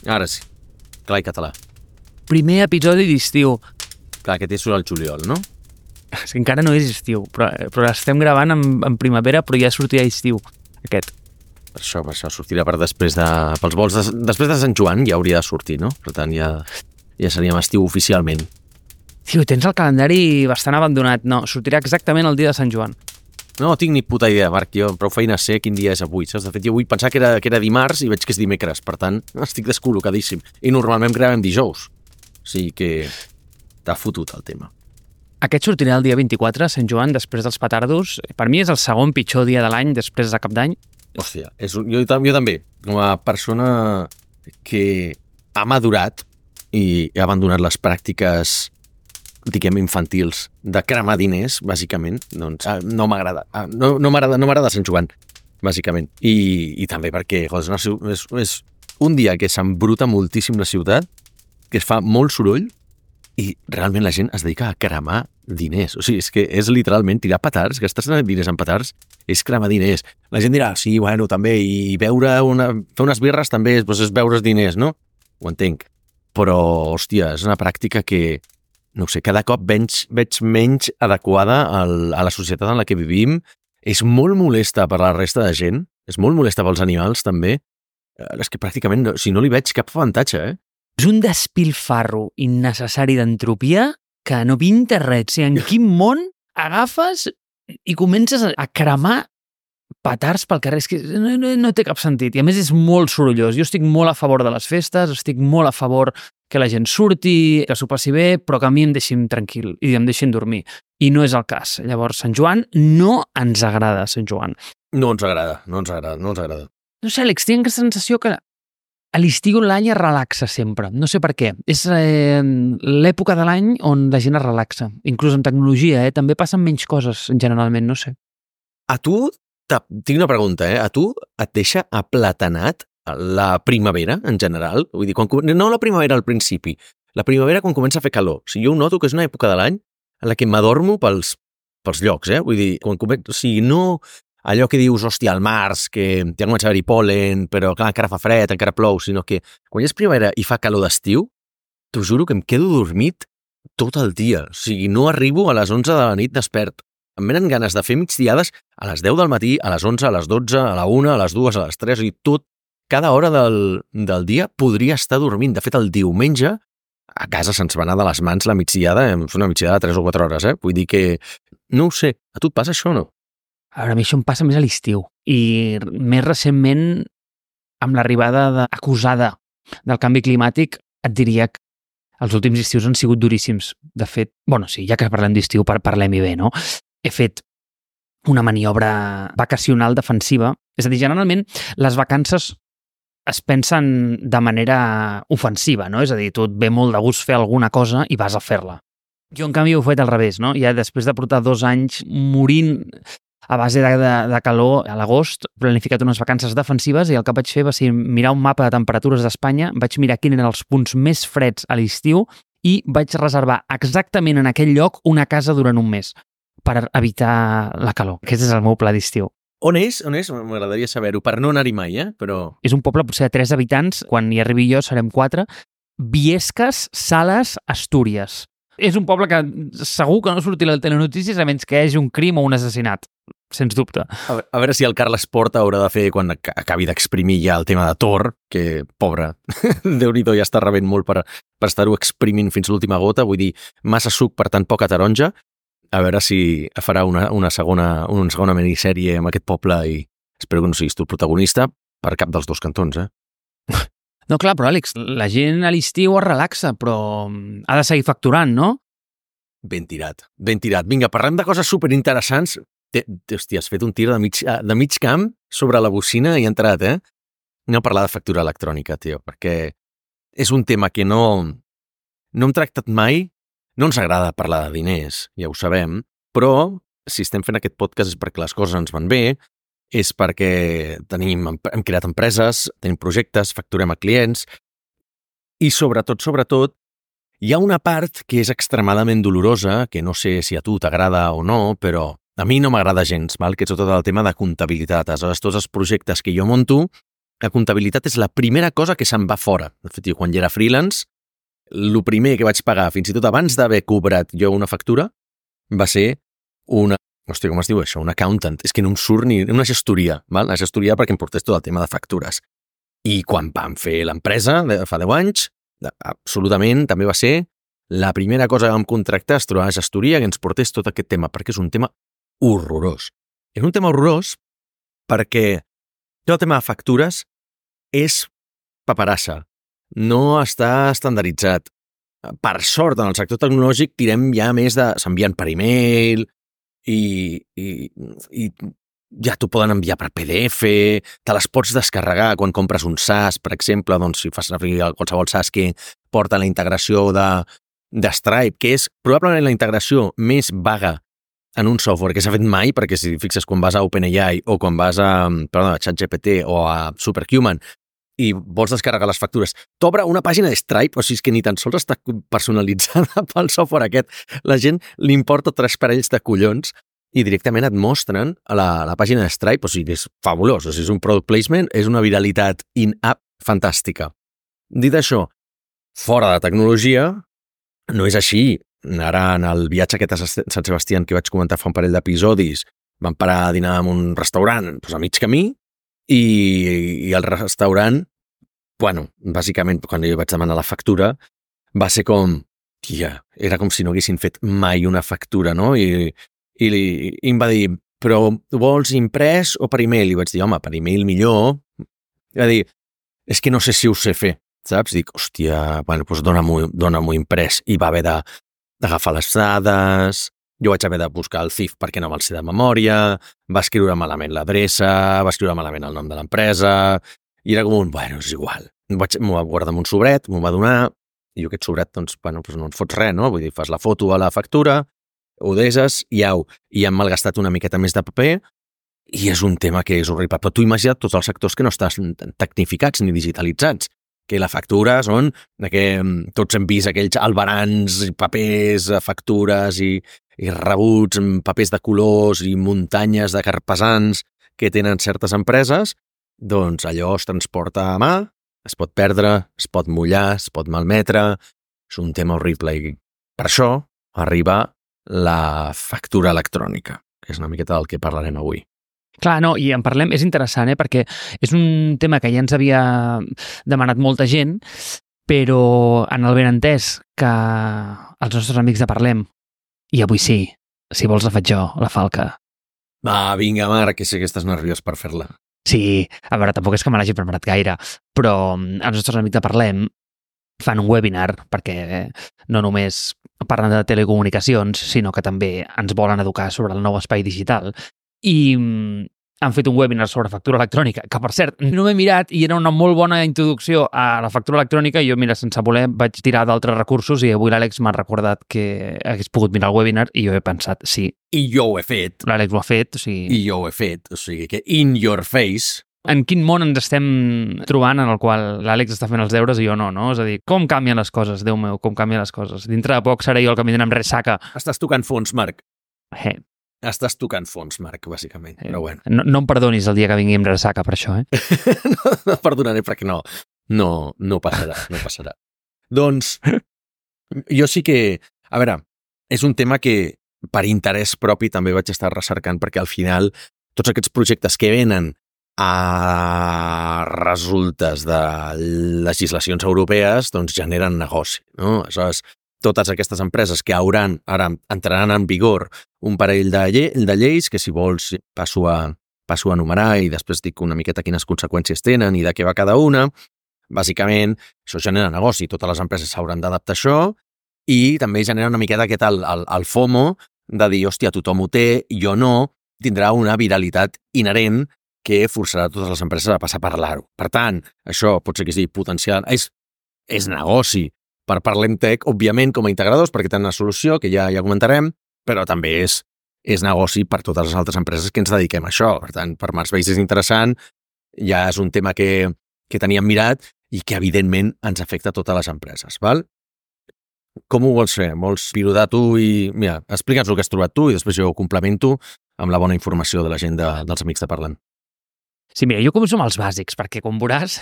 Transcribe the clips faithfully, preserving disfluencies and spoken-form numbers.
Ara sí. Clar i català. Primer episodi d'estiu. Clar, aquest és el juliol, no? És que encara no és estiu, però, però estem gravant en, en primavera, però ja sortirà estiu, aquest. Per això, per això sortirà per després de... Pels vols de, després de Sant Joan ja hauria de sortir, no? Per tant, ja, ja seríem estiu oficialment. Tio, tens el calendari bastant abandonat. No, sortirà exactament el dia de Sant Joan. No tinc ni puta idea, Marc. Jo prou feina sé quin dia és avui, saps? De fet, jo avui pensava que era, que era dimarts i veig que és dimecres. Per tant, estic descol·locadíssim. I normalment gravem dijous. O sigui que t'ha fotut el tema. Aquest sortirà el dia vint-i-quatre, Sant Joan, després dels petardos. Per mi és el segon pitjor dia de l'any després de Cap d'Any. Hòstia, és un, jo, jo també, com a persona que ha madurat i ha abandonat les pràctiques, diguem, infantils de cremar diners, bàsicament, doncs no m'agrada. No, no m'agrada no m'agrada Sant Joan, bàsicament. I, i també perquè és, una, és, és un dia que s'embruta moltíssim la ciutat, que es fa molt soroll i realment la gent es dedica a cremar diners. O sigui, és que és literalment tirar petards, gastar diners en petards, és cremar diners. La gent dirà, sí, bueno, també, i beure una, fer unes birres també és, doncs és beure's diners, no? Ho entenc. Però, hòstia, és una pràctica que, no sé, cada cop veig, veig menys adequada al, a la societat en la que vivim. És molt molesta per la resta de gent, és molt molesta pels animals, també. És que pràcticament, no, si no li veig cap avantatge, eh? És un despilfarro innecessari d'entropia que no pinta res. O sigui, en quin món agafes i comences a cremar petards pel carrer? És que no, no, no té cap sentit. I a més és molt sorollós. Jo estic molt a favor de les festes, estic molt a favor que la gent surti, que s'ho passi bé, però que a mi em deixin tranquil i em deixin dormir. I no és el cas. Llavors, Sant Joan no ens agrada, Sant Joan. No ens agrada, no ens agrada, no ens agrada. No sé, Àlex, tinc aquesta sensació que a l'estiu l'any es relaxa sempre. No sé per què. És eh, l'època de l'any on la gent es relaxa. Inclús en tecnologia, eh? També passen menys coses, generalment, no sé. A tu, tinc una pregunta, eh? A tu et deixa aplatanat la primavera, en general? Vull dir, quan, no la primavera al principi, la primavera quan comença a fer calor. O sigui, jo ho noto que és una època de l'any en la que m'adormo pels, pels llocs, eh? Vull dir, quan comença, o sigui, no allò que dius, hòstia, al març, que ja comença a haver-hi pol·len, però clar, encara fa fred, encara plou, sinó que quan és primavera i fa calor d'estiu, t'ho juro que em quedo dormit tot el dia. O sigui, no arribo a les onze de la nit despert. Em venen ganes de fer migdiades a les deu del matí, a les onze, a les dotze, a la una, a les dues, a les tres, i tot, cada hora del, del dia podria estar dormint. De fet, el diumenge, a casa se'ns va anar de les mans la migdiada, és una migdiada de tres o quatre hores, eh? Vull dir que, no ho sé, a tu et passa això o no? A veure, a mi això em passa més a l'estiu. I més recentment, amb l'arribada de, acusada del canvi climàtic, et diria que els últims estius han sigut duríssims. De fet, bueno, sí, ja que parlem d'estiu, parlem-hi bé, no? He fet una maniobra vacacional defensiva. És a dir, generalment, les vacances es pensen de manera ofensiva, no? És a dir, tu et ve molt de gust fer alguna cosa i vas a fer-la. Jo, en canvi, ho he fet al revés, no? Ja després de portar dos anys morint a base de, de, de calor a l'agost, he planificat unes vacances defensives i el que vaig fer va ser mirar un mapa de temperatures d'Espanya, vaig mirar quins eren els punts més freds a l'estiu i vaig reservar exactament en aquell lloc una casa durant un mes per evitar la calor. Aquest és el meu pla d'estiu. On és? On és? M'agradaria saber-ho, per no anar-hi mai, eh? Però... És un poble potser de tres habitants, quan hi arribi jo serem quatre. Biescas, Sales, Astúries. És un poble que segur que no sortirà a les telenotícies a menys que hi hagi un crim o un assassinat, sens dubte. A, a veure si el Carles Porta haurà de fer quan acabi d'exprimir ja el tema de Thor, que, pobre, Déu-n'hi-do, ja està rebent molt per, per estar-ho exprimint fins l'última gota, vull dir, massa suc per tan poca taronja. A veure si farà una, una, segona, una segona minissèrie amb aquest poble i espero que no siguis tu el protagonista per cap dels dos cantons, eh? No, clar, però Àlex, la gent a l'estiu es relaxa, però ha de seguir facturant, no? Ben tirat, ben tirat. Vinga, parlem de coses superinteressants. Hòstia, has fet un tir de mig, de mig camp sobre la bocina i ha entrat, eh? Anem a parlar de factura electrònica, tio, perquè és un tema que no, no hem tractat mai. No ens agrada parlar de diners, ja ho sabem, però si estem fent aquest podcast és perquè les coses ens van bé, és perquè tenim, hem creat empreses, tenim projectes, facturem a clients i sobretot, sobretot, hi ha una part que és extremadament dolorosa, que no sé si a tu t'agrada o no, però a mi no m'agrada gens, val? Que és tot el tema de comptabilitat. Aleshores, tots els projectes que jo monto la comptabilitat és la primera cosa que se'n va fora. De fet, jo quan jo era freelance, el primer que vaig pagar, fins i tot abans d'haver cobrat jo una factura, va ser una... Hòstia, com es diu això? Un accountant. És que no em surt ni una gestoria, val? Una gestoria perquè em portés tot el tema de factures. I quan vam fer l'empresa, fa deu anys, absolutament també va ser la primera cosa que vam contractar es trobar a gestoria que ens portés tot aquest tema, perquè és un tema horrorós. És un tema horrorós perquè tot el tema de factures és paperassa, no està estandarditzat. Per sort, en el sector tecnològic tirem ja més de... s'envien per e-mail i, i, i ja t'ho poden enviar per P D F, te les pots descarregar quan compres un SaaS, per exemple, doncs si fas servir qualsevol SaaS que porta la integració de, de Stripe, que és probablement la integració més vaga en un software que s'ha fet mai, perquè si fixes quan vas a OpenAI o quan vas a, perdó, a ChatGPT o a Superhuman i vols descarregar les factures, t'obre una pàgina de Stripe, o sigui que ni tan sols està personalitzada pel software aquest. La gent li importa tres parells de collons i directament et mostren a la, a la pàgina de Stripe, o sigui, és fabulós, o sigui, és un product placement, és una viralitat in-app fantàstica. Dit això, fora de tecnologia, no és així. Ara, en el viatge aquest a Sant Sebastián que vaig comentar fa un parell d'episodis, vam parar a dinar en un restaurant doncs, a mig camí i, i el restaurant, bueno, bàsicament, quan jo vaig demanar la factura, va ser com, tia, era com si no haguessin fet mai una factura, no? I, i, i em va dir, però vols imprès o per e-mail? I vaig dir, home, per e-mail millor. I va dir, és que no sé si ho sé fer, saps? Dic, hòstia, bueno, doncs dona-m'ho dona-m'ho imprès. I va haver de d'agafar les dades, jo vaig haver de buscar el C I F perquè no me'l sé de memòria, va escriure malament l'adreça, va escriure malament el nom de l'empresa, i era com un, bueno, és igual. Vaig, m'ho va guardar en un sobret, m'ho va donar, i jo aquest sobret, doncs, bueno, doncs no en fots res, no? Vull dir, fas la foto a la factura, ho deses, i au, i hem malgastat una miqueta més de paper, i és un tema que és horrible. Però tu imagina't tots els sectors que no estan tecnificats ni digitalitzats, que la factura són que tots hem vist aquells albarans, papers, factures i, i rebuts, papers de colors i muntanyes de carpesans que tenen certes empreses, doncs allò es transporta a mà, es pot perdre, es pot mullar, es pot malmetre, és un tema horrible i per això arriba la factura electrònica, que és una miqueta del que parlarem avui. Clar, no, i en parlem, és interessant, eh? Perquè és un tema que ja ens havia demanat molta gent, però en el benentès que els nostres amics de Parlem, i avui sí, si vols la faig jo, la falca. Va, vinga, Marc, que sé que estàs nerviós per fer-la. Sí, a veure, tampoc és que me l'hagi preparat gaire, però els nostres amics de Parlem fan un webinar perquè no només parlen de telecomunicacions, sinó que també ens volen educar sobre el nou espai digital. I han fet un webinar sobre factura electrònica, que per cert, no m'he mirat i era una molt bona introducció a la factura electrònica i jo, mira, sense voler vaig tirar d'altres recursos i avui l'Àlex m'ha recordat que hagués pogut mirar el webinar i jo he pensat, sí. I jo ho he fet. L'Àlex ho ha fet, o sigui... I jo ho he fet, o sigui que in your face... En quin món ens estem trobant en el qual l'Àlex està fent els deures i jo no, no? És a dir, com canvien les coses, Déu meu, com canvien les coses. Dintre de poc seré jo el que vindrà amb ressaca. Estàs tocant fons, Marc. Eh. Estàs tocant fons, Marc, bàsicament, però bueno. No, no em perdonis el dia que vingui amb ressaca per això, eh? no, no perdonaré perquè no, no, no passarà, no passarà. Doncs, jo sí que, a veure, és un tema que per interès propi també vaig estar recercant perquè al final tots aquests projectes que venen a resultes de legislacions europees doncs generen negoci, no? Aleshores, totes aquestes empreses que hauran, ara entraran en vigor un parell de, lle de lleis que si vols passo a, passo a enumerar i després dic una miqueta quines conseqüències tenen i de què va cada una. Bàsicament, això genera negoci, totes les empreses s'hauran d'adaptar a això i també genera una miqueta aquest el, el, el FOMO de dir, hòstia, tothom ho té, jo no, tindrà una viralitat inherent que forçarà totes les empreses a passar a parlar-ho. Per tant, això pot ser que sigui potencial, és, és negoci per Parlem Tech, òbviament, com a integradors, perquè tenen una solució que ja ja comentarem, però també és, és negoci per totes les altres empreses que ens dediquem a això. Per tant, per Mars Base és interessant, ja és un tema que, que teníem mirat i que, evidentment, ens afecta a totes les empreses. Val? Com ho vols fer? Vols pilotar tu i... Mira, explica'ns el que has trobat tu i després jo ho complemento amb la bona informació de la gent de, dels amics de Parlem. Sí, mira, jo començo amb els bàsics, perquè com veuràs,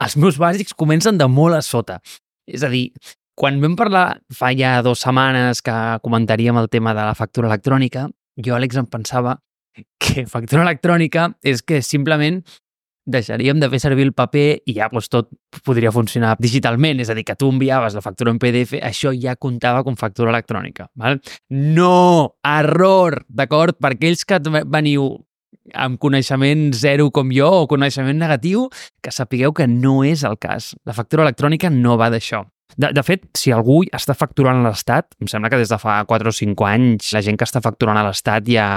els meus bàsics comencen de molt a sota. És a dir, quan vam parlar fa ja dues setmanes que comentaríem el tema de la factura electrònica, jo, Àlex, em pensava que factura electrònica és que simplement deixaríem de fer servir el paper i ja doncs, tot podria funcionar digitalment. És a dir, que tu enviaves la factura en P D F, això ja comptava com factura electrònica. Val? No! Error! D'acord? Per aquells que veniu amb coneixement zero com jo o coneixement negatiu, que sapigueu que no és el cas. La factura electrònica no va d'això. De, de fet, si algú està facturant a l'Estat, em sembla que des de fa quatre o cinc anys la gent que està facturant a l'Estat ja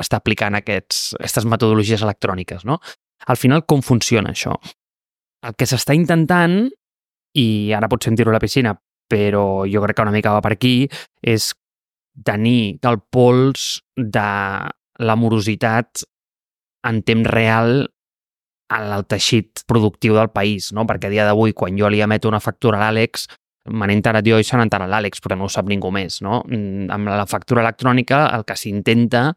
està aplicant aquests, aquestes metodologies electròniques, no? Al final, com funciona això? El que s'està intentant, i ara pots sentir-ho a la piscina, però jo crec que una mica va per aquí, és tenir el pols de la morositat en temps real en el teixit productiu del país, no? Perquè a dia d'avui, quan jo li emeto una factura a l'Àlex, me n'he enterat jo i se n'ha enterat l'Àlex, però no ho sap ningú més, no? Amb la factura electrònica el que s'intenta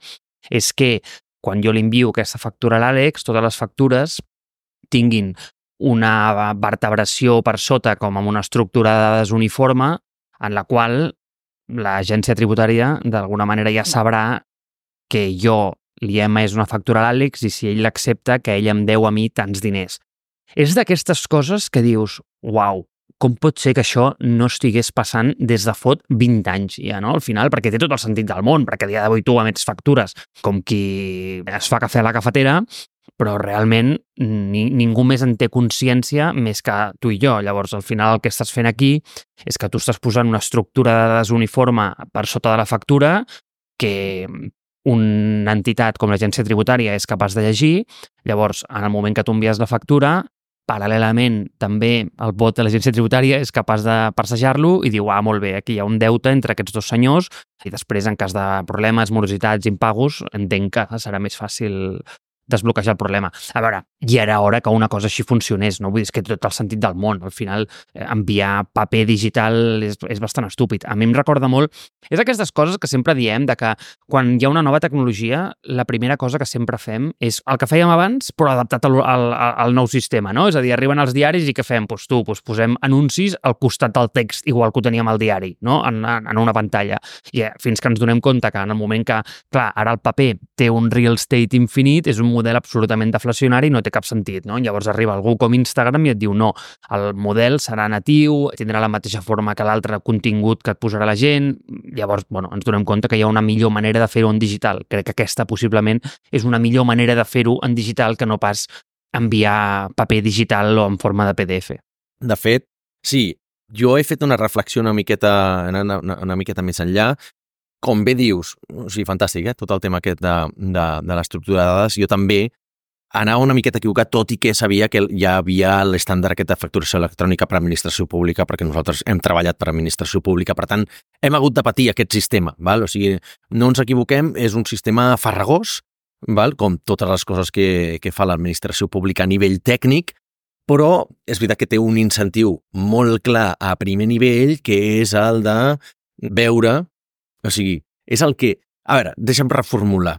és que quan jo li envio aquesta factura a l'Àlex, totes les factures tinguin una vertebració per sota com amb una estructura de dades uniforme en la qual l'agència tributària d'alguna manera ja sabrà que jo li he emès una factura a l'Àlex i si ell l'accepta que ell em deu a mi tants diners. És d'aquestes coses que dius, uau, com pot ser que això no estigués passant des de fot vint anys ja, no? Al final, perquè té tot el sentit del món, perquè a dia d'avui tu emets factures com qui es fa cafè a la cafetera, però realment ni, ningú més en té consciència més que tu i jo. Llavors, al final el que estàs fent aquí és que tu estàs posant una estructura de dades uniforme per sota de la factura que una entitat com l'agència tributària és capaç de llegir. Llavors, en el moment que tu envies la factura, paral·lelament també el bot de l'agència tributària és capaç de parsejar-lo i diu, ah, molt bé, aquí hi ha un deute entre aquests dos senyors i després, en cas de problemes, morositats, impagos, entenc que serà més fàcil desbloquejar el problema. A veure, ja era hora que una cosa així funcionés, no? Vull dir, és que té tot el sentit del món. Al final, eh, enviar paper digital és, és bastant estúpid. A mi em recorda molt... És aquestes coses que sempre diem, de que quan hi ha una nova tecnologia, la primera cosa que sempre fem és el que fèiem abans, però adaptat al, al, al nou sistema, no? És a dir, arriben els diaris i què fem? Doncs tu, doncs posem anuncis al costat del text, igual que ho teníem al diari, no? En, en una pantalla. I eh, fins que ens donem compte que en el moment que, clar, ara el paper té un real estate infinit, és un model absolutament deflacionari i no té cap sentit, no? Llavors arriba algú com Instagram i et diu no, el model serà natiu, tindrà la mateixa forma que l'altre contingut que et posarà la gent. Llavors, bueno, ens donem compte que hi ha una millor manera de fer-ho en digital. Crec que aquesta possiblement és una millor manera de fer-ho en digital que no pas enviar paper digital o en forma de P D F. De fet, sí, jo he fet una reflexió una miqueta, una, una, una miqueta més enllà. Com bé dius, o sigui, fantàstic, eh? Tot el tema aquest de, de, de l'estructura de dades. Jo també anava una miqueta equivocat, tot i que sabia que ja havia l'estàndard aquest de facturació electrònica per a administració pública, perquè nosaltres hem treballat per a administració pública, per tant, hem hagut de patir aquest sistema, val? O sigui, no ens equivoquem, és un sistema farragós, val? Com totes les coses que, que fa l'administració pública a nivell tècnic, però és veritat que té un incentiu molt clar a primer nivell, que és el de veure. O sigui, és el que... A veure, deixa'm reformular.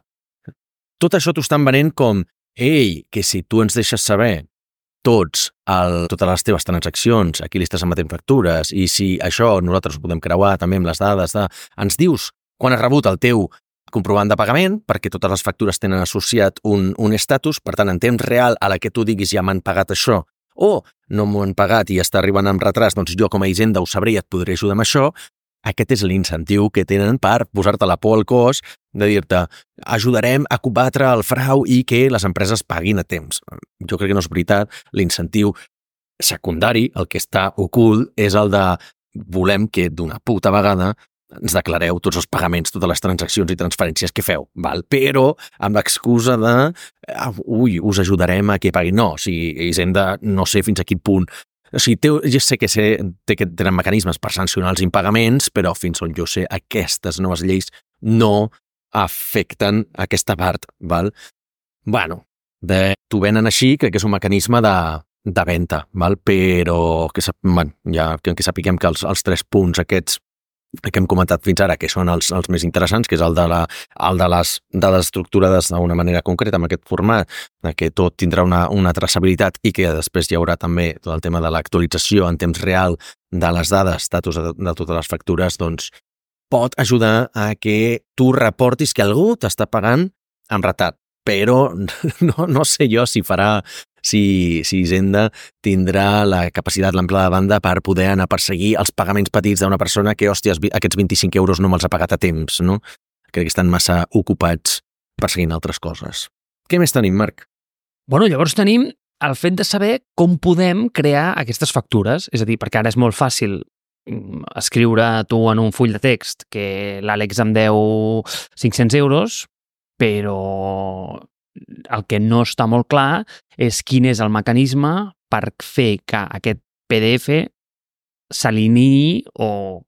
Tot això t'ho estan venent com ei, que si tu ens deixes saber tots el, totes les teves transaccions, aquí li estàs emetent factures, i si això nosaltres ho podem creuar també amb les dades de... Ens dius quan has rebut el teu comprovant de pagament, perquè totes les factures tenen associat un, un estatus, per tant, en temps real a la que tu diguis ja m'han pagat això, o no m'ho han pagat i està arribant amb retras, doncs jo com a Hisenda ho sabré i et podré ajudar amb això. Aquest és l'incentiu que tenen per posar-te la por al cos, de dir-te ajudarem a combatre el frau i que les empreses paguin a temps. Jo crec que no és veritat. L'incentiu secundari, el que està ocult, és el de volem que d'una puta vegada ens declareu tots els pagaments, totes les transaccions i transferències que feu, val? Però amb l'excusa de ui, us ajudarem a que paguin. No, o sigui, Hisenda no sé fins a quin punt. O sigui, té, jo sé que sé, té que tenen mecanismes per sancionar els impagaments, però fins on jo sé, aquestes noves lleis no afecten aquesta part, val? Bueno, de, t'ho venen així, crec que és un mecanisme de, de venda, val? Però que, bueno, ja, que, que sapiguem que els, els tres punts aquests que hem comentat fins ara, que són els, els més interessants, que és el de, la, el de les dades estructurades d'una manera concreta, amb aquest format, que tot tindrà una, una traçabilitat i que després hi haurà també tot el tema de l'actualització en temps real de les dades, estatus de, de totes les factures, doncs pot ajudar a que tu reportis que algú t'està pagant amb retard. Però no, no sé jo si farà, si, si Hisenda tindrà la capacitat, l'amplada de banda per poder anar a perseguir els pagaments petits d'una persona que, hòsties, aquests vint-i-cinc euros no me'ls ha pagat a temps, no? Crec que estan massa ocupats perseguint altres coses. Què més tenim, Marc? Bueno, llavors tenim el fet de saber com podem crear aquestes factures. És a dir, perquè ara és molt fàcil escriure tu en un full de text que l'Àlex em deu cinc-cents euros, però el que no està molt clar és quin és el mecanisme per fer que aquest P D F s'alineï o,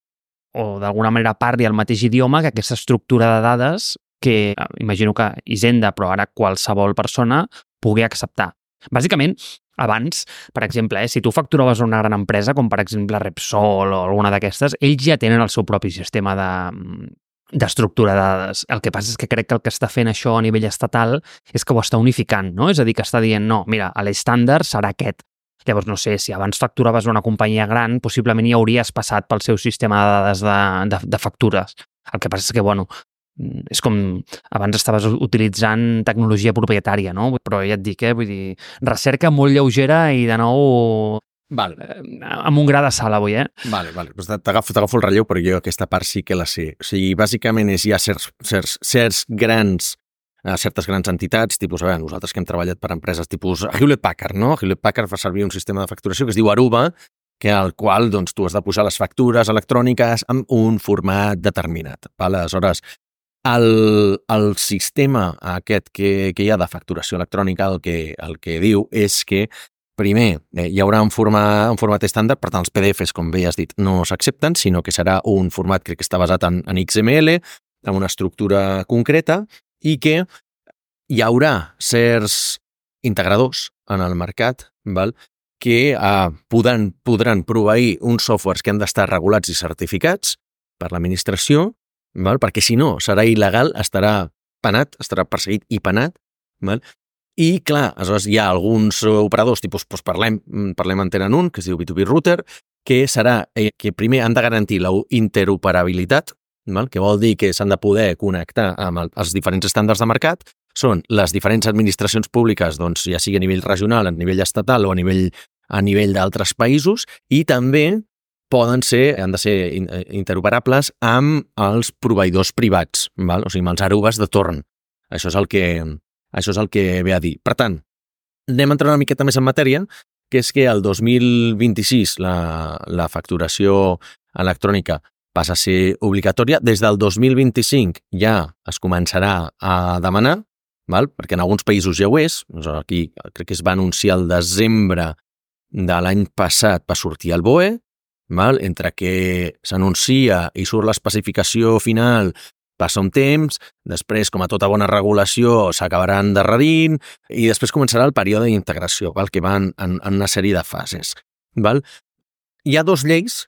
o d'alguna manera parli el mateix idioma que aquesta estructura de dades que imagino que Hisenda, però ara qualsevol persona, pugui acceptar. Bàsicament, abans, per exemple, eh, si tu facturaves una gran empresa, com per exemple Repsol o alguna d'aquestes, ells ja tenen el seu propi sistema de d'estructura de dades. El que passa és que crec que el que està fent això a nivell estatal és que ho està unificant, no? És a dir, que està dient, no, mira, l'estàndard serà aquest. Llavors, no sé, si abans facturaves una companyia gran, possiblement ja hauries passat pel seu sistema de dades de, de, de factures. El que passa és que, bueno, és com abans estaves utilitzant tecnologia propietària, no? Però ja et dic, eh? Vull dir, recerca molt lleugera i, de nou, Val. amb un gra de sal avui, eh? Vale, vale. Pues t'agafo, t'agafo el relleu, però jo aquesta part sí que la sé. O sigui, bàsicament és ja certs, certs, certs grans, eh, certes grans entitats, tipus, a veure, nosaltres que hem treballat per empreses tipus Hewlett Packard, no? Hewlett Packard fa servir un sistema de facturació que es diu Aruba, que al qual doncs, tu has de posar les factures electròniques amb un format determinat. Vale? Aleshores, el, el sistema aquest que, que hi ha de facturació electrònica el que, el que diu és que primer, eh, hi haurà un format, un format estàndard, per tant, els P D Fs, com bé has dit, no s'accepten, sinó que serà un format crec que està basat en, en X M L, amb una estructura concreta, i que hi haurà certs integradors en el mercat, val? que eh, podran, podran proveir uns softwares que han d'estar regulats i certificats per l'administració, val? Perquè si no, serà il·legal, estarà penat, estarà perseguit i penat, val? I, clar, aleshores hi ha alguns operadors, tipus, doncs parlem, parlem en tenen un, que es diu B dos B Router, que serà eh, que primer han de garantir la interoperabilitat, val? Que vol dir que s'han de poder connectar amb el, els diferents estàndards de mercat, són les diferents administracions públiques, doncs, ja sigui a nivell regional, a nivell estatal o a nivell, a nivell d'altres països, i també poden ser, han de ser interoperables amb els proveïdors privats, val? O sigui, amb els Arubes de torn. Això és el que... Això és el que ve a dir. Per tant, anem a entrar una miqueta més en matèria, que és que el dos mil vint-i-sis la, la facturació electrònica passa a ser obligatòria. Des del dos mil vint-i-cinc ja es començarà a demanar, val? Perquè en alguns països ja ho és. Aquí crec que es va anunciar el desembre de l'any passat per sortir al B O E, val? Entre que s'anuncia i surt l'especificació final, passa un temps, després, com a tota bona regulació, s'acabarà endarrerint i després començarà el període d'integració, val? Que va en, en, en una sèrie de fases. Val? Hi ha dues lleis.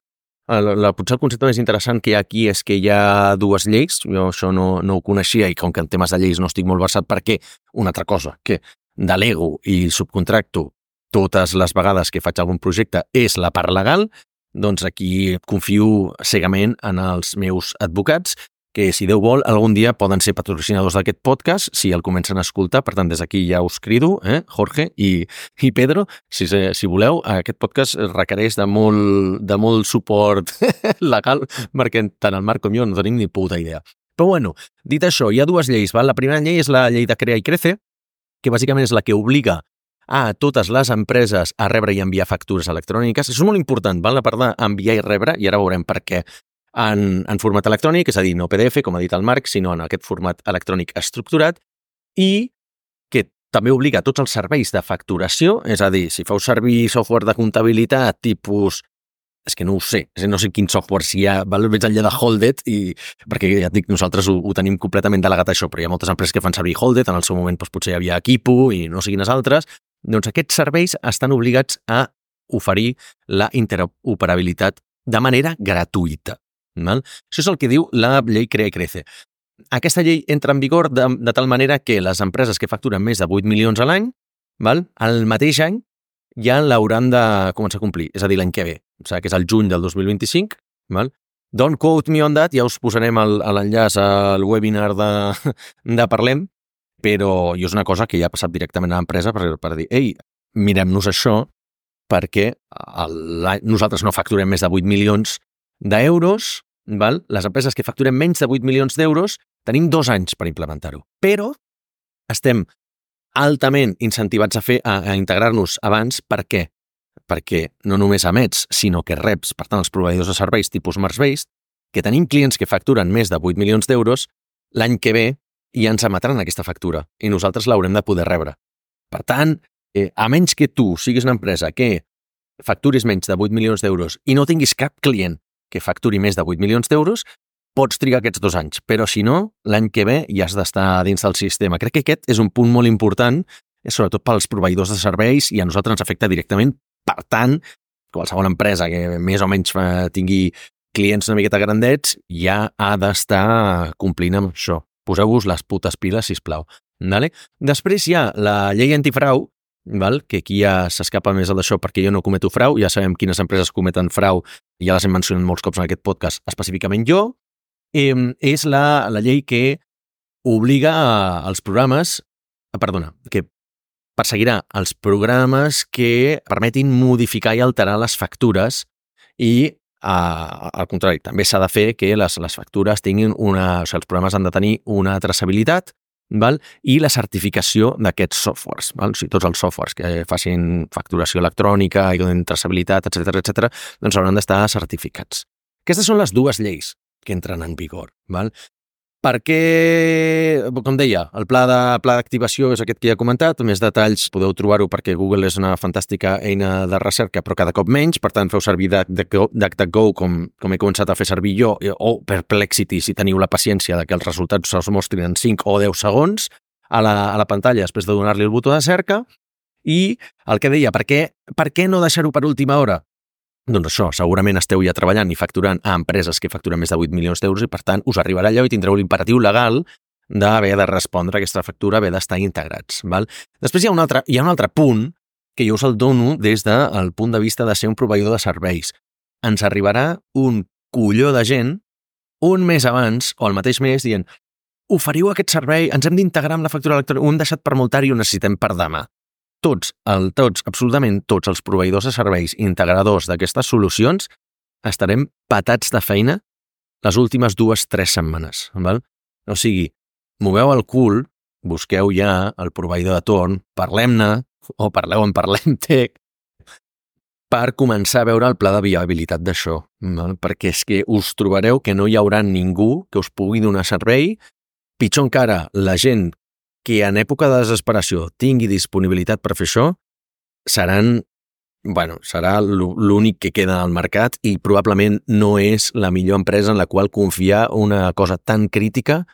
El, el, potser el concepte més interessant que hi ha aquí és que hi ha dues lleis. Jo això no, no ho coneixia i com que en temes de lleis no estic molt versat, perquè una altra cosa, que delego i subcontracto totes les vegades que faig algun projecte és la part legal, doncs aquí confio cegament en els meus advocats, que si Déu vol, algun dia poden ser patrocinadors d'aquest podcast, si el comencen a escoltar. Per tant, des d'aquí ja us crido, eh, Jorge i, i Pedro, si, si voleu, aquest podcast requereix de molt, de molt suport legal, perquè tant el Marc com jo no tenim ni puta idea. Però bueno, dit això, hi ha dues lleis, val? La primera llei és la llei de Crea i Crece, que bàsicament és la que obliga a totes les empreses a rebre i enviar factures electròniques. Això és molt important, val? La part d'enviar i rebre, i ara veurem per què. En, en format electrònic, és a dir, no P D F, com ha dit el Marc, sinó en aquest format electrònic estructurat, i que també obliga a tots els serveis de facturació, és a dir, si feu servir software de comptabilitat tipus... És que no ho sé, no sé quin software si hi ha, val? Veig enllà de Holded, i, perquè ja et dic, nosaltres ho, ho tenim completament delegat això, però hi ha moltes empreses que fan servir Holded, en el seu moment doncs, potser hi havia Equipo i no sé quines altres, doncs aquests serveis estan obligats a oferir la interoperabilitat de manera gratuïta. Val? Això és el que diu la llei Crea i Crece. Aquesta llei entra en vigor de, de tal manera que les empreses que facturen més de vuit milions a l'any, val? Al mateix any ja l'hauran de començar a complir, és a dir, l'any que ve, o sigui, que és el juny del dos mil vint-i-cinc. Val? Don't quote me on that, ja us posarem l'enllaç al webinar de, de Parlem, però és una cosa que ja ha passat directament a l'empresa per, per dir, ei, mirem-nos això perquè el, nosaltres no facturem més de vuit milions d'euros, val? Les empreses que facturem menys de vuit milions d'euros tenim dos anys per implementar-ho. Però estem altament incentivats a fer a, a integrar-nos abans. Per què? Perquè no només emets, sinó que reps, per tant, els proveïdors de serveis tipus Smartbase, que tenim clients que facturen més de vuit milions d'euros, l'any que ve ja ens emetran aquesta factura i nosaltres l'haurem de poder rebre. Per tant, eh, a menys que tu siguis una empresa que facturis menys de vuit milions d'euros i no tinguis cap client que facturi més de vuit milions d'euros, pots trigar aquests dos anys, però si no, l'any que ve ja has d'estar dins del sistema. Crec que aquest és un punt molt important, sobretot pels proveïdors de serveis, i a nosaltres ens afecta directament. Per tant, qualsevol empresa que més o menys tingui clients una miqueta grandets ja ha d'estar complint amb això. Poseu-vos les putes piles, sisplau. Vale? Després hi ha la llei antifrau, val? Que aquí ja s'escapa més d'això perquè jo no cometo frau, ja sabem quines empreses cometen frau, ja les hem mencionat molts cops en aquest podcast, específicament jo. Eh, és la, la llei que obliga als programes, perdona, que perseguirà els programes que permetin modificar i alterar les factures i, eh, al contrari, també s'ha de fer que les, les factures tinguin una... O sigui, els programes han de tenir una traçabilitat, val? I la certificació d'aquests softwares. Val? O sigui, tots els softwares que facin facturació electrònica i donin traçabilitat, etcètera, etcètera, doncs hauran d'estar certificats. Aquestes són les dues lleis que entren en vigor. Val? Perquè, com deia, el pla de pla d'activació és aquest que ja he comentat, més detalls podeu trobar-ho perquè Google és una fantàstica eina de recerca, però cada cop menys, per tant feu servir DuckDuckGo com, com he començat a fer servir jo, o Perplexity si teniu la paciència de que els resultats se'ls mostrin en cinc o deu segons a la, a la pantalla després de donar-li el botó de cerca. I el que deia, per què, per què no deixar-ho per última hora? Doncs això, segurament esteu ja treballant i facturant a empreses que facturen més de vuit milions d'euros i, per tant, us arribarà allò i tindreu l'imperatiu legal d'haver de respondre a aquesta factura, haver d'estar integrats. Val? Després hi ha, un altre, hi ha un altre punt que jo us el dono des del punt de vista de ser un proveïdor de serveis. Ens arribarà un colló de gent un mes abans o el mateix mes dient oferiu aquest servei, ens hem d'integrar amb la factura electrònica, ho hem deixat per molt tard i ho necessitem per demà. Tots, el, tots, absolutament tots els proveïdors de serveis integradors d'aquestes solucions estarem patats de feina les últimes dues, tres setmanes. Val? O sigui, moveu el cul, busqueu ja el proveïdor de torn, parlem-ne, o parleu en Parlemtech, per començar a veure el pla de viabilitat d'això. Val? Perquè és que us trobareu que no hi haurà ningú que us pugui donar servei, pitjor encara, la gent que en època de desesperació tingui disponibilitat per fer això, seran, bueno, serà l'únic que queda al mercat i probablement no és la millor empresa en la qual confiar una cosa tan crítica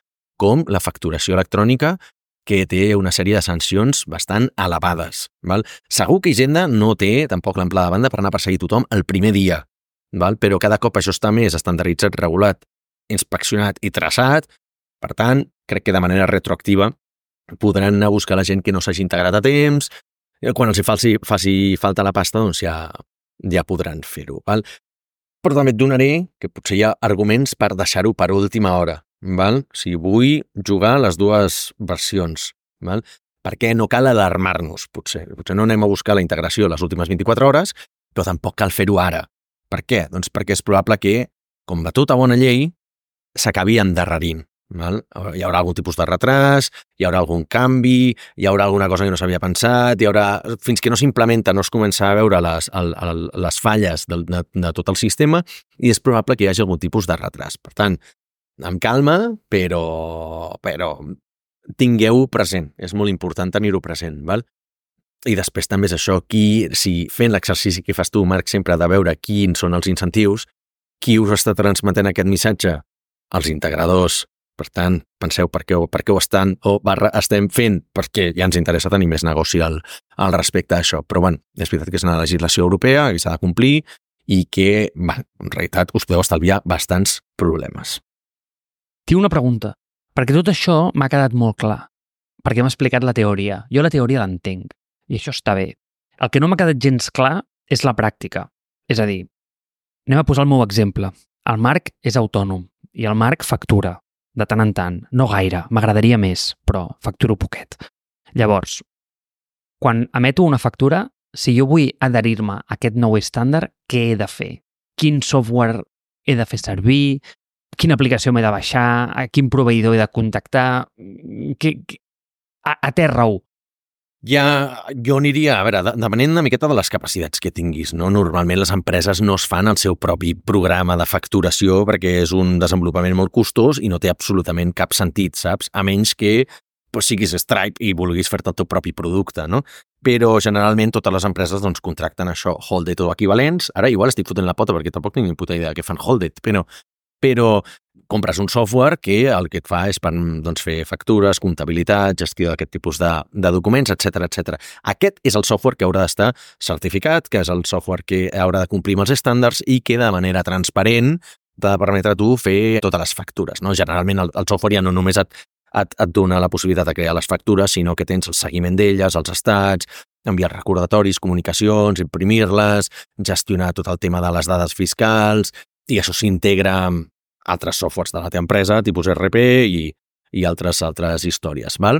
com la facturació electrònica, que té una sèrie de sancions bastant elevades. Val? Segur que Hisenda no té tampoc l'amplada de banda per anar a perseguir tothom el primer dia, val? Però cada cop això està més estandarditzat, regulat, inspeccionat i traçat. Per tant, crec que de manera retroactiva podran anar a buscar la gent que no s'hagi integrat a temps, quan els hi faci, faci falta la pasta, doncs ja, ja podran fer-ho. Val? Però també et donaré que potser hi ha arguments per deixar-ho per última hora. Val? O sigui, vull jugar les dues versions. Val? Perquè no cal alarmar-nos, potser. Potser no anem a buscar la integració les últimes vint-i-quatre hores, però tampoc cal fer-ho ara. Per què? Doncs perquè és probable que, com va tota bona llei, s'acabi endarrerint. Val? Hi haurà algun tipus de retras, hi haurà algun canvi, hi haurà alguna cosa que no s'havia pensat, hi haurà... fins que no s'implementa no es comença a veure les, el, el, les falles de, de, de tot el sistema i és probable que hi hagi algun tipus de retras. Per tant, amb calma, però, però tingueu present, és molt important tenir-ho present. Val? I després també és això, qui, si fent l'exercici que fas tu, Marc, sempre de veure quins són els incentius, qui us està transmetent aquest missatge? Els integradors. Per tant, penseu per què, per què ho estan o barra estem fent, perquè ja ens interessa tenir més negoci al, al respecte d'això. Però bueno, és veritat que és una legislació europea i s'ha de complir i que, va, en realitat, us podeu estalviar bastants problemes. Tinc una pregunta, perquè tot això m'ha quedat molt clar, perquè m'ha explicat la teoria. Jo la teoria l'entenc, i això està bé. El que no m'ha quedat gens clar és la pràctica. És a dir, anem a posar el meu exemple. El Marc és autònom i el Marc factura, de tant en tant. No gaire, m'agradaria més, però facturo poquet. Llavors, quan emeto una factura, si jo vull adherir-me a aquest nou estàndard, què he de fer? Quin software he de fer servir? Quina aplicació m'he de baixar? A quin proveïdor he de contactar? Que, que... Aterra-ho. Ja, jo aniria, a veure, depenent una miqueta de les capacitats que tinguis, no? Normalment les empreses no es fan el seu propi programa de facturació perquè és un desenvolupament molt costós i no té absolutament cap sentit, saps? A menys que pues, siguis Stripe i vulguis fer-te el teu propi producte, no? Però generalment totes les empreses doncs, contracten això, Hold It o equivalents. Ara igual estic fotent la pota perquè tampoc tinc ni puta idea de què fan Hold It, però, però compres un software que el que et fa és per doncs, fer factures, comptabilitat, gestió d'aquest tipus de, de documents, etcètera, etcètera. Aquest és el software que haurà d'estar certificat, que és el software que haurà de complir amb els estàndards i que de manera transparent t'ha de permetre a tu fer totes les factures. No? Generalment el, el software ja no només et, et, et dona la possibilitat de crear les factures, sinó que tens el seguiment d'elles, els estats, enviar recordatoris, comunicacions, imprimir-les, gestionar tot el tema de les dades fiscals, i això s'integra amb altres softwares de la teva empresa, tipus R P i, i altres altres històries, val?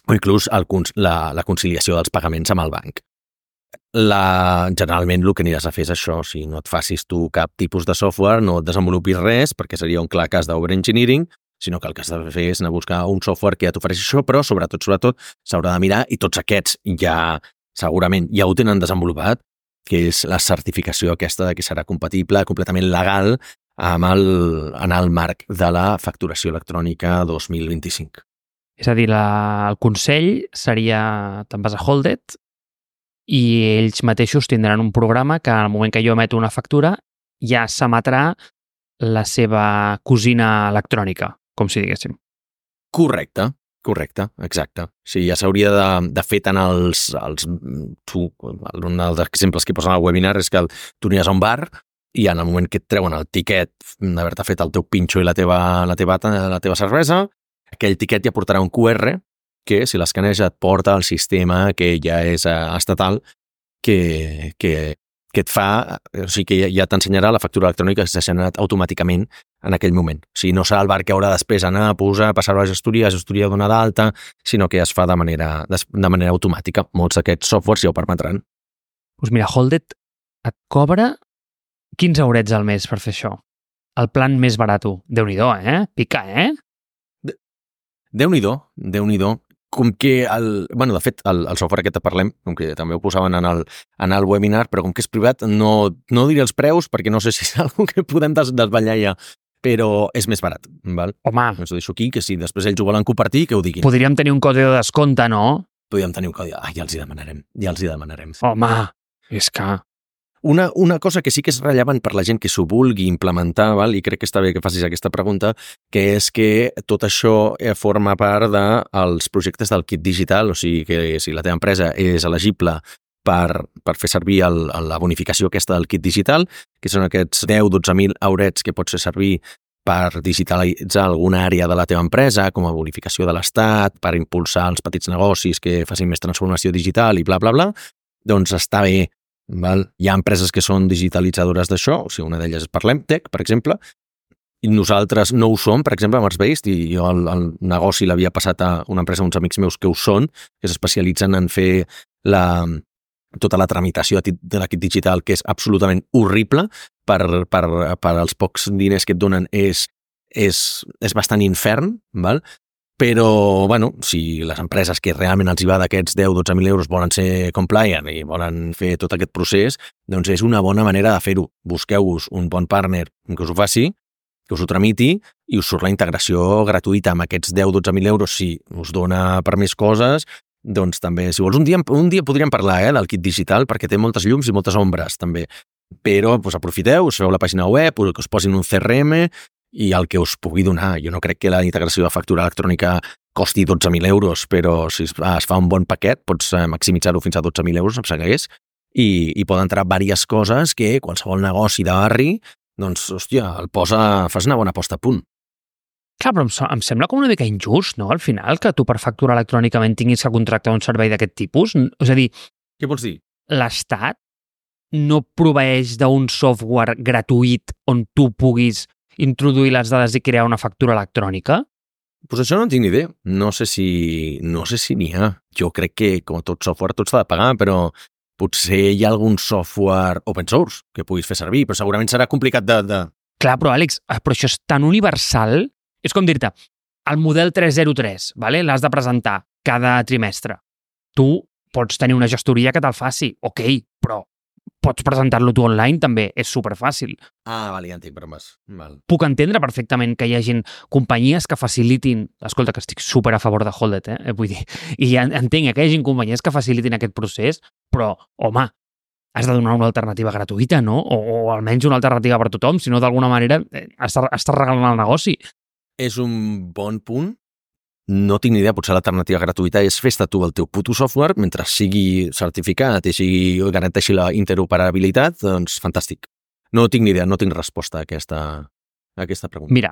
O inclús el, la, la conciliació dels pagaments amb el banc. La, generalment el que aniràs a fer és això, si no et facis tu cap tipus de software, no et desenvolupis res, perquè seria un clar cas d'overengineering, sinó que el que has de fer és anar a buscar un software que ja t'ofereixi això, però sobretot, sobretot, s'haurà de mirar, i tots aquests ja, segurament, ja ho tenen desenvolupat, que és la certificació aquesta de que serà compatible, completament legal, amb el, en el marc de la facturació electrònica dos mil vint-i-cinc. És a dir, la, el consell seria, te'n vas a Hold It i ells mateixos tindran un programa que al moment que jo emeto una factura ja s'emetrà la seva cosina electrònica, com si diguéssim. Correcte, correcte, exacte. Sí, ja s'hauria de, de fer tant els... els tu, un dels exemples que posen al webinar és que tu aniràs a un bar i en el moment que et treuen el tiquet d'haver-te fet el teu pinxo i la teva, la, teva, la teva cervesa, aquell tiquet ja portarà un Q R que, si l'escaneja, et porta al sistema que ja és estatal, que, que, que et fa... O sigui, que ja, ja t'ensenyarà la factura electrònica que s'ha generat automàticament en aquell moment. O sigui, no serà el bar que haurà després anar a posar, passar-ho a la gestoria, la gestoria donar d'alta, sinó que es fa de manera, de, de manera automàtica. Molts d'aquests softwares ja ho permetran. Doncs mira, Hold It et cobra quinze eurets al mes per fer això. El plan més barato. Déu-n'hi-do, eh? Pica, eh? De... Déu-n'hi-do, Déu-n'hi-do. Com que, el, bueno, de fet, el, el software aquest que parlem, com que també ho posaven en el, en el webinar, però com que és privat, no, no diré els preus, perquè no sé si és una que podem des, desvetllar ja, però és més barat, val? Home. Us ho deixo aquí, que si després ells ho volen compartir, que ho diguin. Podríem tenir un codi de descompte, no? Podríem tenir un codi... Ah, ja els hi demanarem, ja els hi demanarem. Home, és que... Una, una cosa que sí que és rellevant per la gent que s'ho vulgui implementar, val? I crec que està bé que facis aquesta pregunta, que és que tot això forma part dels projectes del kit digital, o sigui que si la teva empresa és elegible per, per fer servir el, la bonificació aquesta del kit digital, que són aquests deu a dotze mil eurets que pots fer servir per digitalitzar alguna àrea de la teva empresa, com a bonificació de l'Estat, per impulsar els petits negocis que facin més transformació digital i bla, bla, bla, doncs està bé. Val? Hi ha empreses que són digitalitzadores d'això, o sigui, una d'elles és Parlemtec, per exemple, i nosaltres no ho som, per exemple, amb Artsbase, i jo el, el negoci l'havia passat a una empresa, uns amics meus que ho són, que s'especialitzen en fer la, tota la tramitació de l'equip digital, que és absolutament horrible, per, per, per als pocs diners que et donen és, és, és bastant infern, val? Però, bueno, si les empreses que realment els hi va d'aquests deu a dotze mil euros volen ser compliant i volen fer tot aquest procés, doncs és una bona manera de fer-ho. Busqueu-vos un bon partner que us ho faci, que us ho tramiti i us surt la integració gratuïta amb aquests deu a dotze mil euros. Si us dona per més coses, doncs també, si vols, un dia, un dia podríem parlar eh, del kit digital perquè té moltes llums i moltes ombres, també. Però doncs, aprofiteu, us feu la pàgina web, que us posin un C R M i el que us pugui donar. Jo no crec que la integració de factura electrònica costi dotze mil euros, però si es fa un bon paquet pots maximitzar-ho fins a dotze mil euros, em segueix, i, i poden entrar diverses coses que qualsevol negoci de barri, doncs, hòstia, el posa, fas una bona posta a punt. Clar, però em, so, em sembla com una mica injust, no?, al final, que tu per facturar electrònicament tinguis que contractar un servei d'aquest tipus. És a dir... Què vols dir? L'Estat no proveeix d'un software gratuït on tu puguis introduir les dades i crear una factura electrònica? Pues això no en tinc ni idea. No sé si no sé si n'hi ha. Jo crec que, com tot software, tot s'ha de pagar, però potser hi ha algun software open source que puguis fer servir, però segurament serà complicat de... de... Clar, però Àlex, però això és tan universal... És com dir-te, el model tres zero tres, vale? L'has de presentar cada trimestre. Tu pots tenir una gestoria que te'l faci, ok, però pots presentar-lo tu online també, és superfàcil. Ah, vale, ja entenc, però més. Val. Puc entendre perfectament que hi hagin companyies que facilitin, escolta, que estic super a favor de Hold It, eh? Vull dir, i ja entenc que hi hagin companyies que facilitin aquest procés, però, home, has de donar una alternativa gratuïta, no? O, o almenys una alternativa per tothom, si no d'alguna manera estàs, estàs regalant el negoci. És un bon punt. No tinc ni idea, potser l'alternativa gratuïta és fes-te tu el teu puto software mentre sigui certificat i sigui, garanteixi la interoperabilitat, doncs fantàstic. No tinc ni idea, no tinc resposta a aquesta, a aquesta pregunta. Mira,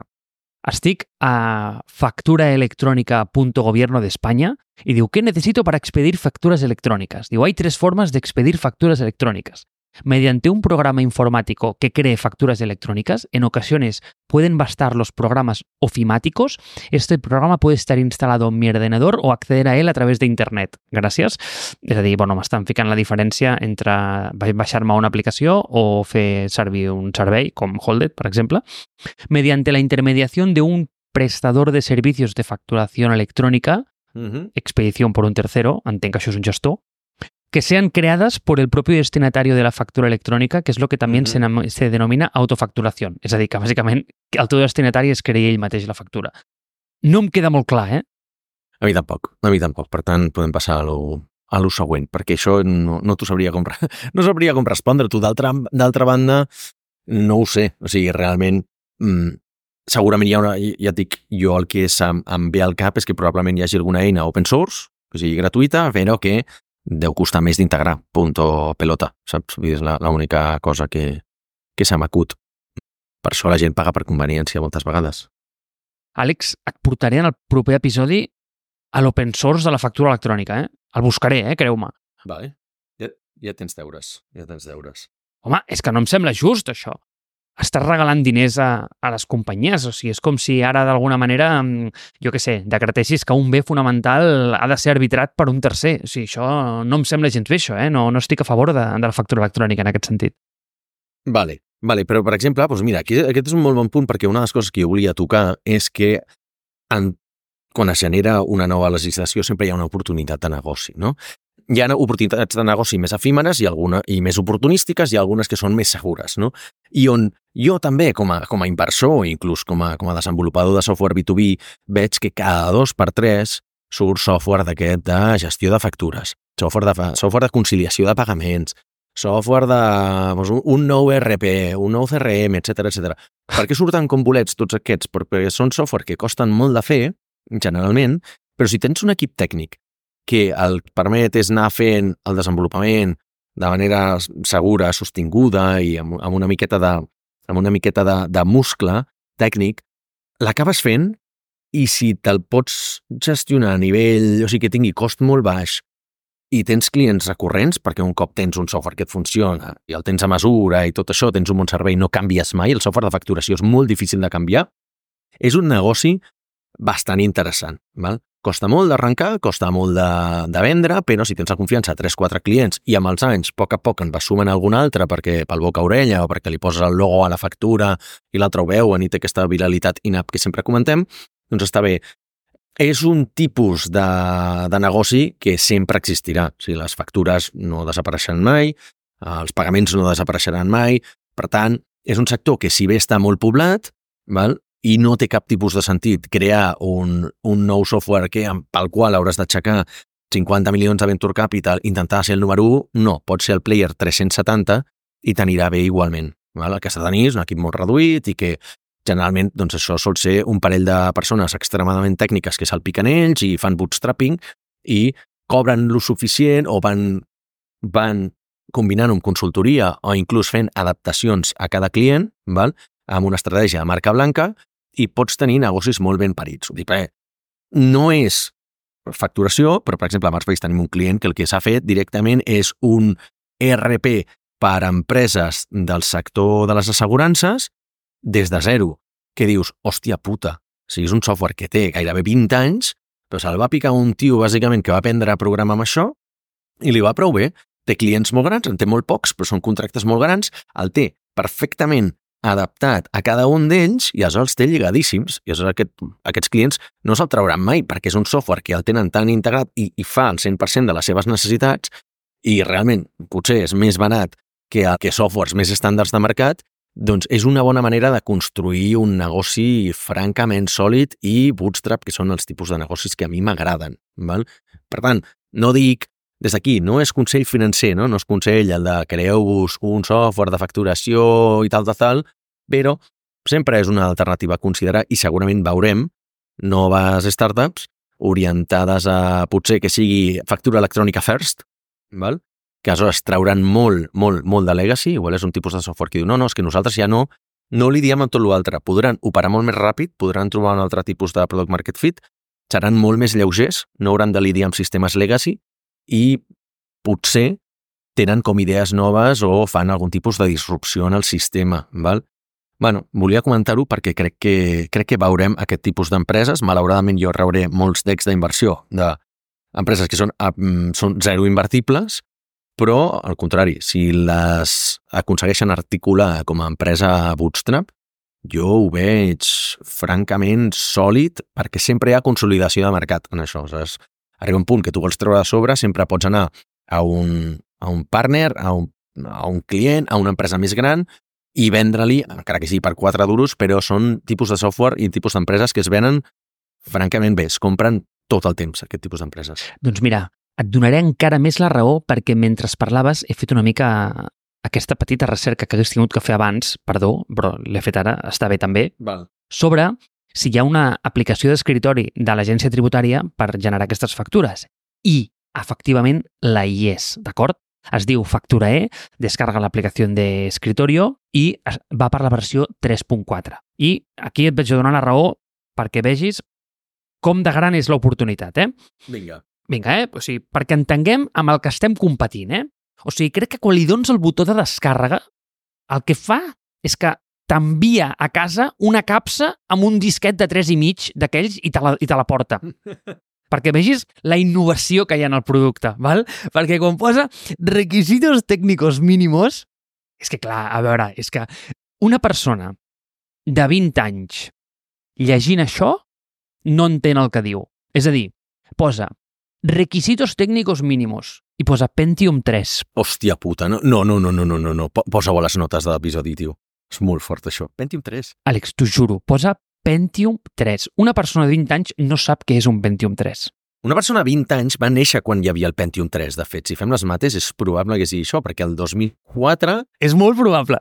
estic a facturaelectrónica punto gobierno de España y digo, ¿qué necesito para expedir facturas electrónicas? Digo, hay tres formas de expedir facturas electrónicas. Mediante un programa informático que cree facturas electrónicas, en ocasiones pueden bastar los programas ofimáticos. Este programa puede estar instalado en mi ordenador o acceder a él a través de internet. Gràcies. És a dir, bueno, m'estan ficant la diferència entre baixar-me una aplicació o fer servir un servei, com Hold It, per exemple. Mediante la intermediación de un prestador de servicios de facturación electrónica, uh-huh. expedición por un tercero, entenc que això és un gestor, que sean creadas por el propio destinatario de la factura electrónica, que és lo que també uh-huh. se, se denomina autofacturació. És a dir, que bàsicament el teu destinatari es crea ell mateix la factura. No em queda molt clar, eh? A mi tampoc, a mi tampoc. Per tant, podem passar a lo, a lo següent, perquè això no, no t'ho sabria com, no sabria com respondre. Tu, d'altra, d'altra banda, no ho sé. O sigui, realment, mmm, segurament hi ha una... Ja et dic, jo el que és, em, em ve al cap és que probablement hi hagi alguna eina open source, o sigui, gratuïta, però que deu costar més d'integrar, punto pelota, saps? És l'única cosa que, que se m'acut. Per això la gent paga per conveniència moltes vegades. Àlex, et portaré en el proper episodi a l'open source de la factura electrònica, eh? El buscaré, eh? Creu-me. Vale. Ja, ja tens deures, ja tens deures. Home, és que no em sembla just, això. Estàs regalant diners a, a les companyies, o sigui, és com si ara d'alguna manera, jo què sé, decretessis que un bé fonamental ha de ser arbitrat per un tercer. O sigui, això no em sembla gens bé, això, eh? No, no estic a favor de, de la factura electrònica en aquest sentit. Vale, vale, però per exemple, doncs mira, aquí, aquest és un molt bon punt perquè una de les coses que jo volia tocar és que en, quan es genera una nova legislació sempre hi ha una oportunitat de negoci, no? Hi ha oportunitats de negoci més efímeres i, alguna, i més oportunístiques i algunes que són més segures, no? I on jo també, com a, com a inversor, inclús com a, com a desenvolupador de software B dos B, veig que cada dos per tres surt software d'aquest de gestió de factures, software de, software de conciliació de pagaments, software de doncs, un nou E R P, un nou C R M, etcètera, etcètera. Per què surten com bolets tots aquests? Perquè són software que costen molt de fer, generalment, però si tens un equip tècnic que el permet és anar fent el desenvolupament de manera segura, sostinguda i amb, amb una miqueta de, amb una miqueta de, de muscle tècnic, l'acabes fent i si te'l pots gestionar a nivell, o sigui, que tingui cost molt baix i tens clients recurrents, perquè un cop tens un software que et funciona i el tens a mesura i tot això, tens un bon servei, no canvies mai, el software de facturació és molt difícil de canviar, és un negoci bastant interessant, val? Costa molt d'arrencar, costa molt de, de vendre, però si tens la confiança de tres o quatre clients i amb els anys, a poc a poc en vas sumant algun altre perquè pel boca-orella o perquè li poses el logo a la factura i l'altre ho veuen i té aquesta viralitat in-app que sempre comentem, doncs està bé. És un tipus de, de negoci que sempre existirà. O sigui, les factures no desapareixeran mai, els pagaments no desapareixeran mai, per tant, és un sector que si bé està molt poblat, val? I no té cap tipus de sentit crear un, un nou software que, pel qual hauràs d'aixecar cinquanta milions de venture capital, intentar ser el número u, no, pot ser el player tres-cents setanta i t'anirà bé igualment. Val? El que has de tenir és un equip molt reduït i que generalment doncs, això sol ser un parell de persones extremadament tècniques que salpiquen ells i fan bootstrapping i cobren lo suficient o van, van combinant-ho amb consultoria o inclús fent adaptacions a cada client, val? Amb una estratègia de marca blanca, i pots tenir negocis molt ben parits. Dic, perquè no és facturació, però, per exemple, a Marspace tenim un client que el que s'ha fet directament és un E R P per a empreses del sector de les assegurances des de zero, que dius, hòstia puta, o sigui, és un software que té gairebé vint anys, però se'l va picar un tio, bàsicament, que va aprendre a programar amb això i li va prou bé. Té clients molt grans, en té molt pocs, però són contractes molt grans, el té perfectament adaptat a cada un d'ells i aleshores té lligadíssims. I aleshores aquest, aquests clients no se'l trauran mai perquè és un software que el tenen tan integrat i, i fa el cent per cent de les seves necessitats i realment potser és més barat que, que softwares més estàndards de mercat, doncs és una bona manera de construir un negoci francament sòlid i bootstrap, que són els tipus de negocis que a mi m'agraden. Val? Per tant, no dic, des d'aquí, no és consell financer, no, no és consell el de creeu-vos un software de facturació i tal, tal, tal, però sempre és una alternativa a considerar i segurament veurem noves startups orientades a potser que sigui factura electrònica first, val? Que aleshores trauran molt, molt, molt de legacy, igual és un tipus de software que diu, no, no, és que nosaltres ja no, no li diem amb tot l'altre, podran operar molt més ràpid, podran trobar un altre tipus de product market fit, seran molt més lleugers, no hauran de lidiar amb sistemes legacy i potser tenen com idees noves o fan algun tipus de disrupció en el sistema, val? Bueno, volia comentar-ho perquè crec que, crec que veurem aquest tipus d'empreses. Malauradament jo rebré molts decks d'inversió d'empreses que són, són zero invertibles, però, al contrari, si les aconsegueixen articular com a empresa bootstrap, jo ho veig francament sòlid perquè sempre hi ha consolidació de mercat en això. Saps? Arriba un punt que tu vols treure de sobre, sempre pots anar a un, a un partner, a un, a un client, a una empresa més gran i vendre-li, encara que sigui per quatre duros, però són tipus de software i tipus d'empreses que es venen francament bé, es compren tot el temps, aquest tipus d'empreses. Doncs mira, et donaré encara més la raó perquè mentre parlaves he fet una mica aquesta petita recerca que hagués tingut que fer abans, perdó, però l'he fet ara, està bé també, Val. sobre si hi ha una aplicació d'escritori de l'agència tributària per generar aquestes factures. I, efectivament, la hi és, d'acord? Es diu Facturae, descarga l'aplicació d'escritorio i va per la versió tres punt quatre. I aquí et vaig donar la raó perquè vegis com de gran és l'oportunitat, eh? Vinga. Vinga, eh? O sigui, perquè entenguem amb el que estem competint, eh? O sigui, crec que quan li dones el botó de descàrrega, el que fa és que t'envia a casa una capsa amb un disquet de tres i mig d'aquells i te la, i te la porta. Perquè vegis la innovació que hi ha en el producte, val? Perquè quan posa requisitos técnicos mínimos, és que clar, a veure, és que una persona de vint anys llegint això no entén el que diu. És a dir, posa requisitos técnicos mínimos i posa Pentium tres. Hòstia puta, no, no, no, no, no, no, no. Posa-ho a les notes de l'episodi, tio. És molt fort, això. Pentium tres. Àlex, t'ho juro, posa Pentium tres. Una persona de vint anys no sap què és un Pentium tres. Una persona de vint anys va néixer quan hi havia el Pentium tres, de fet. Si fem les mates, és probable que sigui això, perquè el dos mil quatre... És molt probable.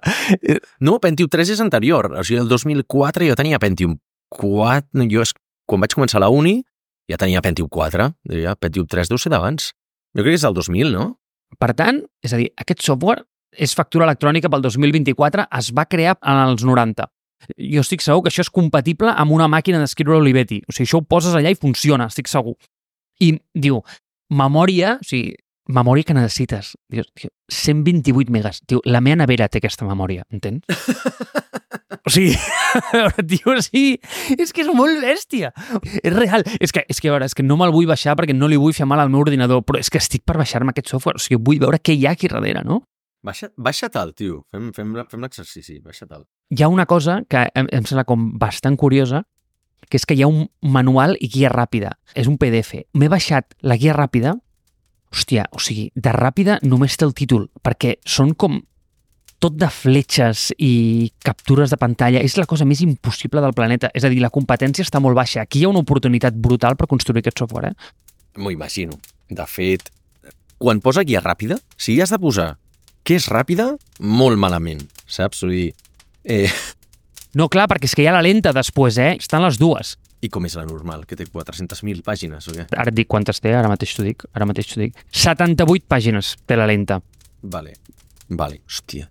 No, Pentium tres és anterior. O sigui, el dos mil quatre jo tenia Pentium quatre... Jo, quan vaig començar la uni, ja tenia Pentium quatre. Ja, Pentium tres deu ser d'abans. Jo crec que és del dos mil, no? Per tant, és a dir, aquest software és factura electrònica pel dos mil vint-i-quatre, es va crear en els noranta. Jo estic segur que això és compatible amb una màquina d'escriure Olivetti. O sigui, això ho poses allà i funciona, estic segur. I diu, memòria, o sigui, memòria que necessites. Diu, cent vint-i-vuit megas. Diu, la meva nevera té aquesta memòria, entens? O sigui, tio, sí, és que és molt bèstia. És real. És que, és que, a veure, és que no me'l vull baixar perquè no li vull fer mal al meu ordinador, però és que estic per baixar-me aquest software. O sigui, vull veure què hi ha aquí darrere, no? Baixa, baixa tal, tio. Fem, fem, fem l'exercici, baixa tal. Hi ha una cosa que em, em sembla com bastant curiosa, que és que hi ha un manual i guia ràpida. És un P D F. M'he baixat la guia ràpida. Hòstia, o sigui, de ràpida només té el títol, perquè són com tot de fletxes i captures de pantalla. És la cosa més impossible del planeta. És a dir, la competència està molt baixa. Aquí hi ha una oportunitat brutal per construir aquest software, eh? M'ho imagino. De fet, quan posa guia ràpida, si has de posar que és ràpida, molt malament, saps? O sigui, eh... No, clar, perquè és que hi ha la lenta després, eh? Estan les dues. I com és la normal, que té quatre-centes mil pàgines, o què? Ara et dic quantes té, ara mateix t'ho dic, ara mateix t'ho dic. setanta-vuit pàgines té la lenta. Vale, vale, hòstia.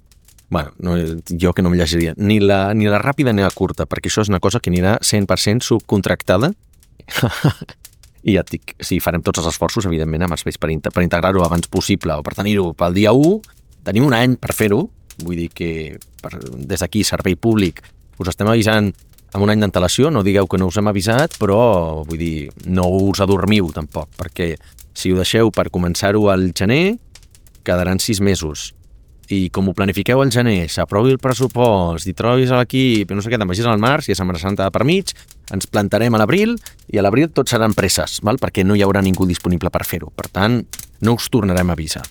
Bueno, no, jo que no em llegiria ni la, ni la ràpida ni la curta, perquè això és una cosa que anirà cent per cent subcontractada. I ja et dic, sí, farem tots els esforços, evidentment, amb els per, per integrar-ho abans possible o per tenir-ho pel dia u. Tenim un any per fer-ho, vull dir que per, des d'aquí, servei públic, us estem avisant amb un any d'antelació, no digueu que no us hem avisat, però vull dir, no us adormiu tampoc, perquè si ho deixeu per començar-ho al gener, quedaran sis mesos. I com ho planifiqueu al gener, s'aprovi el pressupost, i trobis a l'equip, no sé què, te'n vagis al març, i a Setmana Santa per mig, ens plantarem a l'abril, i a l'abril tot seran presses, val? Perquè no hi haurà ningú disponible per fer-ho. Per tant, no us tornarem a avisar.